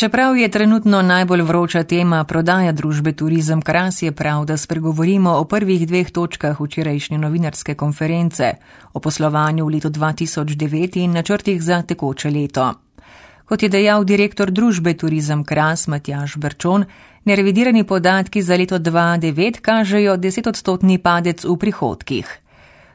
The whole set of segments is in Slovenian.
Čeprav je trenutno najbolj vroča tema prodaja družbe Turizem Kras, je prav, da spregovorimo o prvih dveh točkah včerajšnje novinarske konference, o poslovanju v letu 2009 in načrtih za tekoče leto. Kot je dejal direktor družbe Turizem Kras Matjaž Berčon, nerevidirani podatki za leto 2009 kažejo 10-odstotni padec v prihodkih.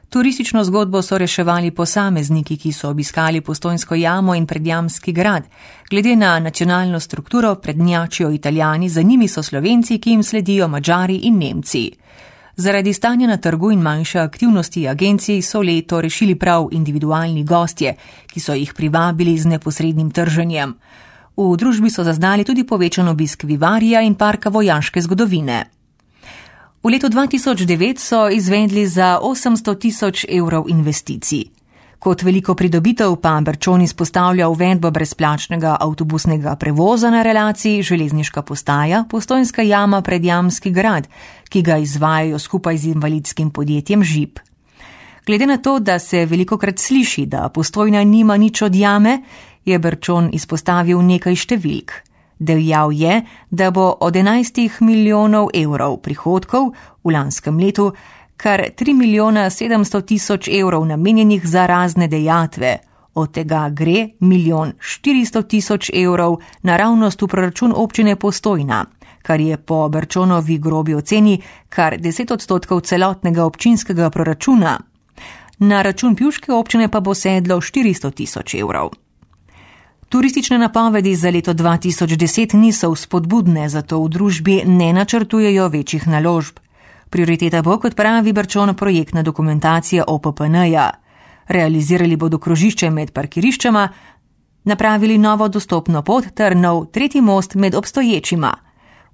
Turistično zgodbo so reševali posamezniki, ki so obiskali Postojnsko jamo in Predjamski grad. Glede na nacionalno strukturo prednjačijo Italijani, za njimi so Slovenci, ki jim sledijo Madžari in Nemci. Zaradi stanja na trgu in manjše aktivnosti agencij so leto rešili prav individualni gostje, ki so jih privabili z neposrednim trženjem. V družbi so zaznali tudi povečan obisk Vivarija in parka vojaške zgodovine. V letu 2009 so izvedli za 800 000 evrov investicij. Kot veliko pridobitev pa Berčon izpostavlja uvedbo brezplačnega avtobusnega prevoza na relaciji železniška postaja Postojnska jama Predjamski grad, ki ga izvajajo skupaj z invalidskim podjetjem ŽIP. Glede na to, da se velikokrat sliši, da Postojna nima nič od jame, je Berčon izpostavil nekaj številk. Dejal je, da bo od 11 milijonov evrov prihodkov v lanskem letu kar 3 700 000 evrov namenjenih za razne dejatve, od tega gre 1 400 000 evrov naravnost v proračun občine Postojna, kar je po Berčonovi grobi oceni kar 10% celotnega občinskega proračuna. Na račun pivške občine pa bo sedlo 400 000 evrov. Turistične napovedi za leto 2010 niso vzpodbudne, zato v družbi ne načrtujejo večjih naložb. Prioriteta bo, kot pravi Berčon, projektna dokumentacija OPPN-ja. Realizirali bodo krožišče med parkiriščema, napravili novo dostopno pot ter nov tretji most med obstoječima.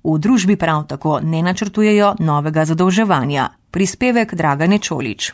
V družbi prav tako ne načrtujejo novega zadolževanja. Prispevek Dragane Čolič.